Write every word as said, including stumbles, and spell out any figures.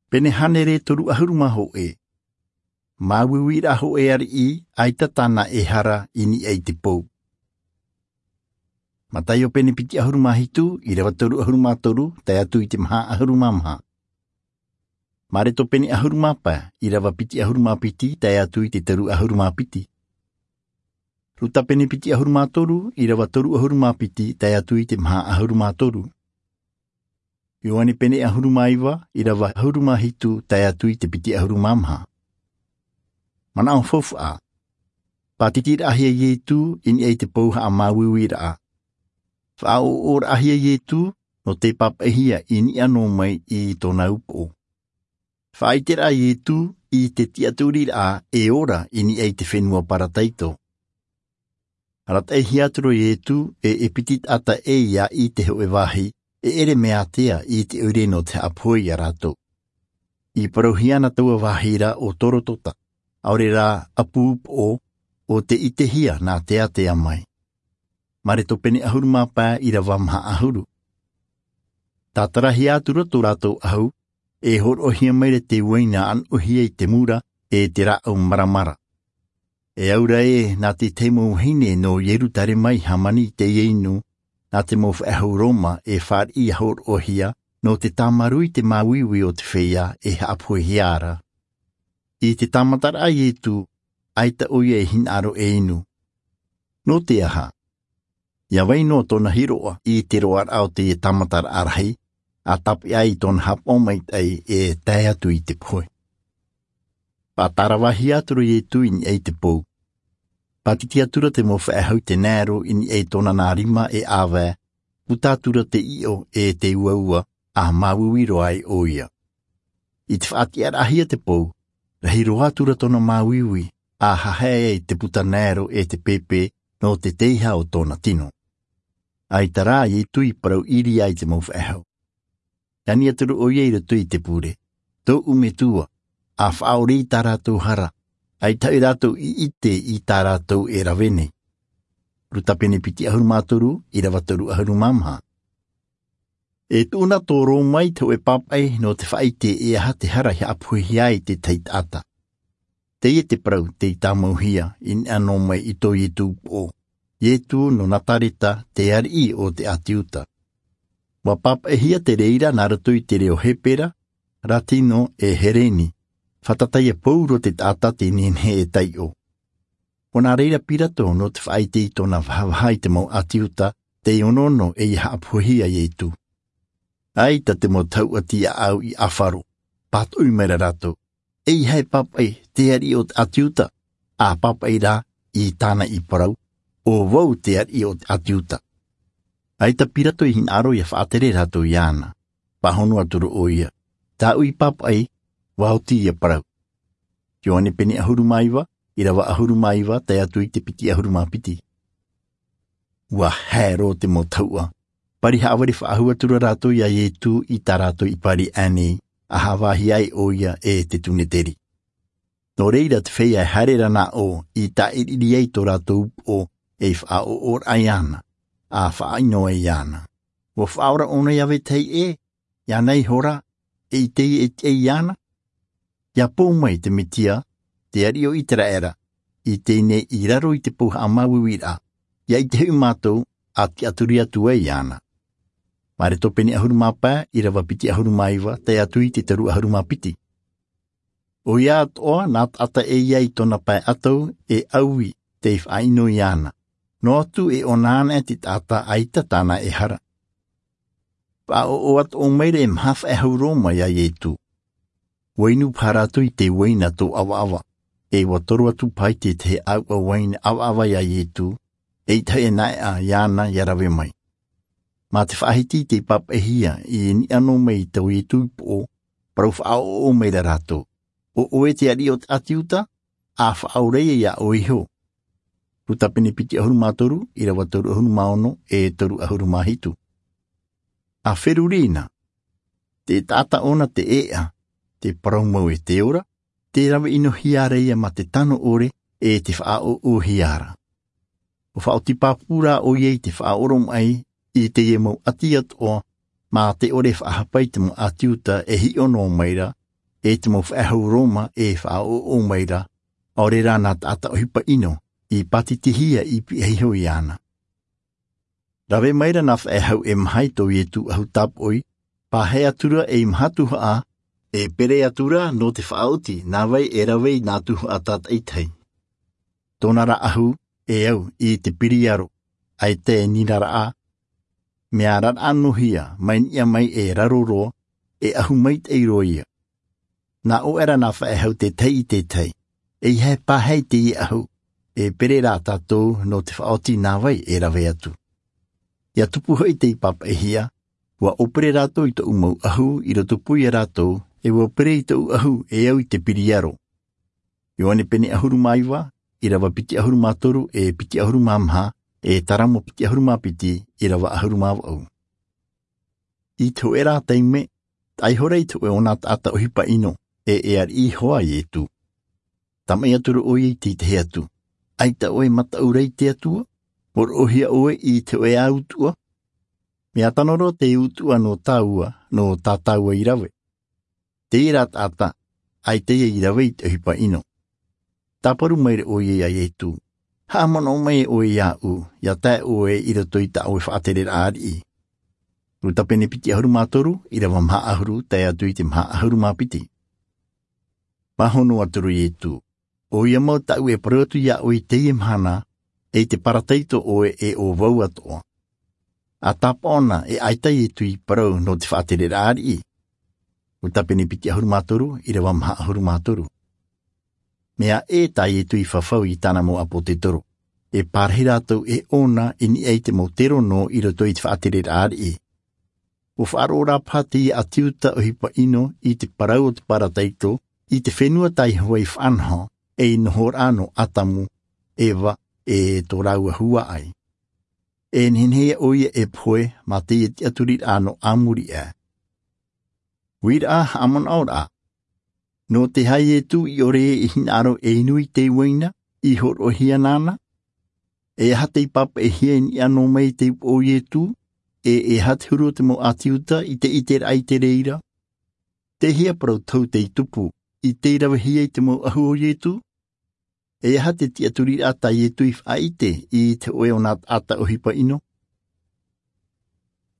Pene hānere toru ʻahuru mā hōʻē. Māuiuiraʻa hōʻē ariʻi, ʻaita tāna e hara i niʻa i te pou. Mataio pene piti ʻahuru mā hitu, ʻīrava toru ʻahuru mā toru, tae atu i te maha ʻahuru mā maha. Mareko pene ʻahuru mā pae, ʻīrava piti ʻahuru mā piti, tae atu i te toru ʻahuru mā piti. Luka pene piti ʻahuru mā toru, ʻīrava toru ʻahuru mā piti, tae atu i te maha ʻahuru mā toru. Ioane pene ʻahuru mā iva, ʻīrava ʻahuru mā hitu, tae atu i te piti ʻahuru mā maha. Manaʻo faufaʻa. Pātitiraʻahia Iesu i niʻa i te pou haʻamāuiuiraʻa. Faʻaʻoʻoraʻahia Iesu nō te pāpaʻihia i niʻa noa mai i tōna upoʻo. Faʻaʻiteraʻa Iesu i te tiʻaturiraʻa e ora i niʻa i te fenua Paradaiso. Arataʻihia atu ra Iesu e, e piti taʻata ʻē ia i te hōʻē vāhi, e ʻere mea ātea i te ʻoire nō te haʻapohe ia rātou. I parauhia ana taua vāhi ra ʻo Gologota, ʻaore rā ʻapu upoʻo, ʻo tei ʻitehia nā te ātea mai. Mareko pene ʻahuru mā pae, ʻīrava maha ʻahuru. Tātarahia atu ra tō rātou ʻahu, e hōroʻahia mai ra te uaina ʻānoʻahia i te mura, e te rāʻau maramara. E aura ē, nā te tahi mau vahine nō Ierusalema i hāmani i teie inu, nā te mau faʻehau Roma e fāriʻi ʻia hōroʻahia, nō te tāmarū i te māuiui o te feiā e haʻapohehia ra. I te tāmataraʻa a Iesu, ʻaita ʻoia e hinaʻaro e inu. Nō te aha? ʻIa vai noa tōna hiroʻa i te roaraʻa o te tāmataraʻa rahi, ʻa tāpeʻa ai i tōna haʻapaʻo maitaʻi e tae atu i te pohe. Faʻatāravahia atu ra Iesu i niʻa i te pou. Pātiti atu ra te mau faʻehau denaro i niʻa i tōna nā rima e ʻāvae, puta atu ra te ʻiʻo e te uaua, ʻa māuiui roa ai ʻoia. I te faʻatiʻaraʻahia te pou, rahi roa atu ra tōna māuiui, ʻa hahae ai te puta denaro e te pēpē nō te teiaha o tōna tino. ʻAita rā Iesu i parau ʻīrava i te mau faʻehau. Ani atu ra ʻoia i roto i te pure, tōʻu Metua, ʻa faʻaʻore i tā rātou hara, ʻaita hoʻi rātou i ʻite i tā rātou e rave nei. Luka pene piti ʻahuru mā toru, ʻīrava toru ʻahuru mā maha. E tuʻu na tō Roma i te hōʻē pāpaʻi nō te faʻaʻite e aha te hara i haʻapohehia ai te tahi taʻata. Teie te parau tei tāmauhia i niʻa noa mai i tō Iesu upoʻo. Iesu nō Nazareta, te ariʻi o te ʻĀti Iuta. ʻUa pāpaʻihia te reira nā roto i te reo Hepera, Latino e Heleni. Fātata ia pauroa te taʻata tei nehenehe e taiʻo. ʻO nā reira Pilato nō te faʻaʻite i tōna vahavaha i te mau ʻĀti Iuta, tei onoono ʻeia haʻapohehia Iesu. ʻAita te mau tahuʻa tiaʻau i ʻāfaro, pātoʻi mai ra rātou, ʻeiaha e pāpaʻi te ariʻi o te ʻĀti Iuta, ʻa pāpaʻi rā i tāna i parau, ʻo vau te ariʻi o te ʻĀti Iuta. ʻAita Pilato i hinaʻaro ʻia faʻatere rātou iāna. Pāhono atu ra ʻoia, tāʻu i pāpaʻi, ʻua oti ia parau. Ioane pene ʻahuru mā iva, ʻīrava ʻahuru mā iva, tae atu i te piti ʻahuru mā piti. ʻUa haere roa te mau tahuʻa. Pari haʻavare faʻahou atu ra rātou ia Iesu i tā rātou i pari aʻe nei, ʻa haʻavāhi ai ʻoia e te Suneteri. Nō reira te feiā e haere ra nā ʻō i tāʻiriʻiri ai tō rātou upoʻo, ei faʻaʻoʻoraʻa iāna, ʻa faʻaʻino ai iāna. ʻUa faʻaora ʻōna ia vetahi ʻē, iāna iho rā, e ʻite ʻē e tiʻa iāna? ʻIa pou mai te Mesia, te ariʻi o Iseraela, i teie nei i raro i te pou haʻamāuiuiraʻa, ʻia ʻite hoʻi mātou, ʻa tiʻaturi atu ai iāna. Mareko pene ʻahuru mā pae, ʻīrava piti ʻahuru mā iva, tae atu i te toru ʻahuru mā piti. ʻOia atoʻa, nā taʻata ʻē ia i tōna pae ʻatau, e ʻaui, tei faʻaʻino iāna. Noa atu e ʻōna anaʻe te taʻata ʻaita tāna e hara. Faʻaʻoʻo atoʻa mai ra e maha faʻehau Roma ia Iesu. ʻUa inu paha rātou i te uaina tō ʻavaʻava, e ʻua toro atu paha i te tahi ʻāuʻa uaina ʻavaʻava ia Iesu, eʻita hoʻi e naʻeʻa iāna ʻia rave mai. Mā te faʻahiti tei pāpaʻihia i niʻa noa mai i tō Iesu upoʻo, parau faʻaʻoʻo mai ra rātou. ʻO ʻoe te ariʻi o te ʻĀti Iuta, ʻa faʻaora ia iā ʻoe iho. Luka pene piti ʻahuru mā toru, ʻīrava toru ʻahuru mā ono, e toru ʻahuru mā hitu. ʻA feruri na, te taʻata ʻōna te ʻēʻa, te parau mau e te ora, tē rave ʻinohia ra ia mā te tano ʻore, e te faʻaʻoʻohia ra. ʻUa faʻaoti pāpū rā ʻoia i te faʻaoromaʻi, i teie mau ʻati atoʻa, mā te ʻore faʻahapa i te mau ʻĀti Iuta e hiʻo noa mai ra, e te mau faʻehau Roma e faʻaʻoʻo mai ra, ʻaore rā nā taʻata ʻohipa ʻino i pātitihia i pihaʻi iho iāna. Rave mai ra nā faʻehau e maha i tō Ietu ʻahu tāpoʻi, pāhē atu ra ei maha tuhaʻa, e pere atu ra nō te faʻaoti nā vai e rave i nā tuhaʻa tātaʻitahi. Tōna ra ʻahu e au i te piriaro, ʻaita e nīnaraʻa, mea raraʻa noa hia mai niʻa mai e raro roa, e ʻahu maitaʻi roa ia. Nā ʻō ra nā faʻehau tētahi i tētahi, ʻeiaha e pāhē i teie ʻahu, e pere rā tātou nō te faʻaoti nā vai e rave atu. ʻIa tupu hoʻi tei pāpaʻihia, ʻua ʻōpere rātou i tōʻu mau ʻahu i roto pū ia rātou, e ʻua pere i tōʻu ʻahu e au i te piriaro. Ioane pene ʻahuru mā iva, ʻīrava piti ʻahuru mā toru, e piti ʻahuru mā maha, e Taramo piti ʻahuru mā piti, ʻīrava ʻahuru mā vaʻu. I te hōʻē rā taime, taʻa iho ra i te hōʻē o nā taʻata ʻohipa ʻino, e e ariʻi iho ā Ietu. Tāmaʻi atu ra ʻoia i te tahi atu, ʻaita ʻoe e mataʻu ra i te Atua, mōroʻohia ʻoe i te hōʻē ā utuʻa? Mea tano roa te utuʻa nō tāua, nō tā tāua i rave. Teie rā taʻata, ʻaita ia i rave i te ʻohipa ʻino. Tāparu maira ʻoia iā Ietu, haʻamanaʻo mai ʻoe iāʻu, ʻia tae ʻoe i roto i tā ʻoe faʻatereraʻa ariʻi. Luka pene piti ʻahuru mā toru, ʻīrava maha ʻahuru, tae atu i te maha ʻahuru mā piti. Pāhono atu ra Ietu, ʻoia mau tāʻu e parau atu iā ʻoe i teie mahana, e i te parataito ʻoe e ʻo vau atoʻa. ʻA tāpaʻo na e ʻaita Ietu i parau nō te faʻatereraʻa ariʻi. Luka pene piti ʻahuru mā toru, ʻīrava maha ʻahuru mā toru. Mea ʻē tā Ietu i fafau i tāna mau ʻāpōtetoro, e pārahi rātou e ʻōna i niʻa i te mau terono i roto i te faʻatereraʻa ariʻi. ʻUa faʻaroʻo rā paha teie ʻāti Iuta ʻohipa ʻino i te parau o te parataito, i te fenua tā Iehova i faʻanaho, ei nohoraʻa nō Atamu, Eva, e tō rāua huaʻai. E nehenehe ïa ʻoia e pohe mā teie tiʻaturiraʻa nō ā muri aʻe. Uiraʻa, haʻamanaʻoraʻa. Nō te aha Ietu i ʻore i hinaʻaro e inu i te uaina i hōroʻahia nāna? E aha tei pāpaʻihia i niʻa noa mai i te upoʻo o Ietu? E e aha te huru o te mau ʻāti Iuta i te ʻiteraʻa i te reira? Tei hea parau tohu tei tupu i tei ravehia i te mau ʻahu o Ietu? E aha te tiʻaturiraʻa tā Ietu i faʻaʻite i te hōʻē o nā taʻata ʻohipa ʻino?